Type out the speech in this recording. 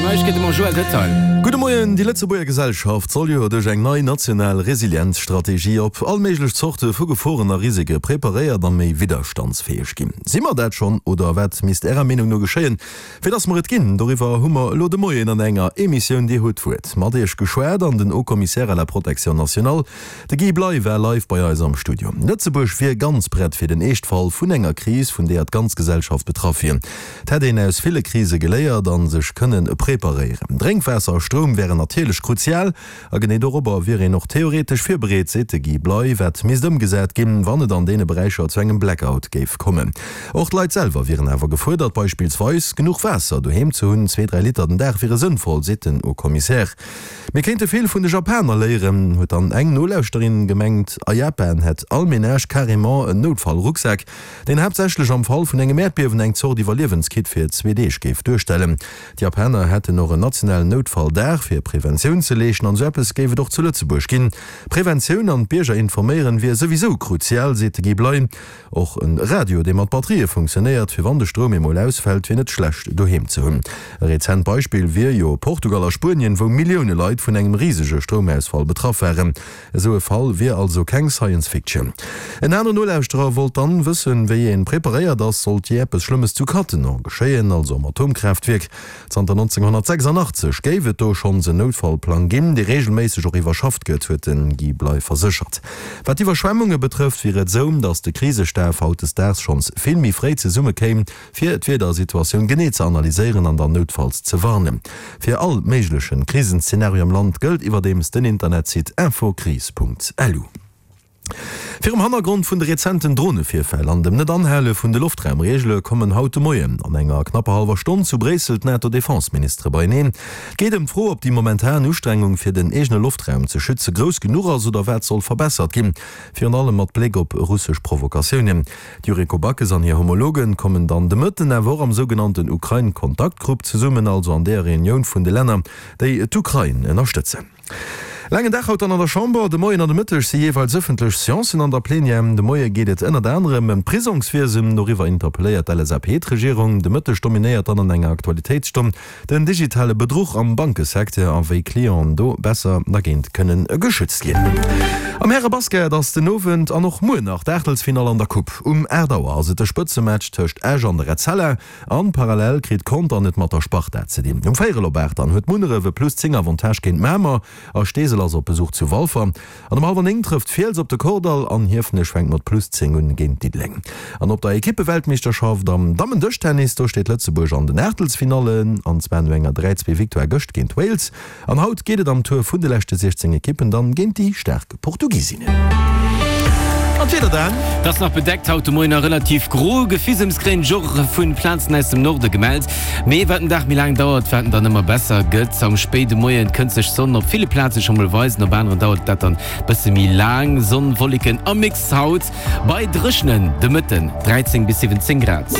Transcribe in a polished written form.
Neiegkeete mam Joël Detail. Gudde Moien, Déi Lëtzebuerger Gesellschaft soll jo duerch eng nei national Resilienzstrategie op all méiglech Zorte vu Geforen a Risike preparéiert a méi widderstandsfäeg ginn. Si mer dat schonn oder wat misst Ärer Meenung no geschéien, fir dass mer et ginn? Doriwwer hu mer elo de Moien an enger Emissioun Dir hutt d'Wuert mat Iech geschwat an den Haut Commissaire à la protection nationale, De Guy Bley war live bei eis am Studio. Lëtzebuerg wier ganz prett fir den Eeschtfall vun enger Kris, vun deeër d'ganz Gesellschaft betraff wier. Et hätt een aus ville Krise geléiert a sech kënne preparéieren. Drénkwaasser a Stroum wären natierlech kruzial a genee dorobber wier een och theoretesch virbereet, seet de Guy Bley. Wat misst ëmgesat ginn, wann et an deene Beräicher zu engem Blackout géif kommen? Och d'Leit selwer wieren awer gefuerdert, beispillsweis genuch Waasser doheem ze hunn. 2, 3 Liter den Dag wiere sënnvoll, seet den Haut-Commissaire. Mir kéinte vill vun de Japaner léieren, huet dann eng Nolauschterin gemengt. A Japan hätt all Menage carrément en Noutfall-Rucksak, deen haaptsächlech am Fall vun engem Äerdbiewen eng Zort Iwwerliewenskit fir zwee Deeg géif duerstellen. D'Japaner hätten och en nationalen Noutfall-Dag, fir Preventioun ze leeschten, an esou eppes géif et och zu Lëtzebuerg ginn. Preventioun an d'Bierger informéieren wier souwisou kruzial, seet de Guy Bley. Och en Radio, dee mat Batterië funktionéiert, fir wann de Stroum emol ausfält, wier net schlecht doheem ze hunn. E rezent Beispill wier jo Portugal a Spuenien, wou Millioune Leit vun engem risege Stroumausfall betraff waren. Esou e Fall wier also keng Science Fiction. En aneren Nolauschterer wollt dann wëssen, wéi een preparéiert ass, sollt jee eppes Schlëmmes zu Cattenom geschéien, also am Atomkraaftwierk. Zanter 1986 géif et do schonns en Noutfallplang ginn, dee reegelméisseg och iwwerschafft gëtt, huet de Guy Bley verséchert. Wat d'Iwwerschwemmunge betrëfft, wier et esou, datt de Krisestaf hautdesdaags schonns vill méi fréi zesumme kéim, fir d'Wiedersituatioun genee ze analyséieren an dann noutfalls ze warnen. Fir all méigleche Krisenszenario am Land gëllt iwwerdeems den Internetsite infokris.lu. Virum Hannergrond vun de rezenten Dronevirfäll an dem Net-Anhale vun de Loftraumreegele kommen haut de Moien an enger knapper hallwer Stonn zu Bréissel d'NATO-Defenseministere beieneen. Et geet ëm d'Fro, ob déi momentan Ustrengung fir den eegene Loftraum ze schütze grouss genuch ass oder wat soll verbessert ginn, virun allem mat Bléck op russesch Provokatiounen. D'Yuriko Backes an hir Homologe kommen dann de Mëtten awer och am sougenannten Ukrain-Kontaktgrupp zesummen, also an deeër Reunioun vun de Länner, déi d'Ukrain ënnerstëtzen. Laangen Dag haut dann an der Chamber. De Moien an de Mëtteg si jeeweils ëffentlech Seancen an der Plenière. De Moie geet et ënnert anerem ëm d'Prisongswiesen. Doriwwer interpelléiert d'LSAP d'Regierung. De Mëtteg dominéiert dann an enger Aktualitéitsstonn den digitale Bedruch am Bankesecteur a wéi Clienten do besser dergéint kënne geschützt ginn. Am Härebasket ass den Owend an och muer nach d'Aachtelsfinall an der Coupe. Um 8 Auer ass et de Spëtzematch tëscht Esch an der Etzella. An parallel kritt Contern et mat der Sparta ze dinn. Um véierel op 8 dann huet Munneref e plus 10 Avantage géint Mamer a Steesel ass op Besuch zu Walfer. An um hallwer 9 trëfft Fiels op de Kordall an Hiefenech fänkt mat plus 10 un géint Diddeleng. An op der Ekippeweltmeeschterschaft am Dammen-Dëschtennis, do steet Lëtzebuerg an den Aachtelsfinallen, an zwar no enger 3, 2 Victoire gëscht géint Wales. An haut geet et am Tour vun de leschte 16 Ekippen dann géint déi staark Portugisinnen. An d'Wieder dann? Et ass nach bedeckt haut de Moien a relativ gro. Gefissems kréien d'Joch vun Plazen aus dem Norde gemellt. Mee wat den Dag méi laang dauert, wat en dann ëmmer besser gëtt. Am spéide Moien kënnt sech d'Sonn op ville Plaze scho mol weisen, op aneren dauert dat dann bësse méi laang. Sonn, Wolleken am Mix haut bei dréchenen de Mëtten 13 bis 17 Grad.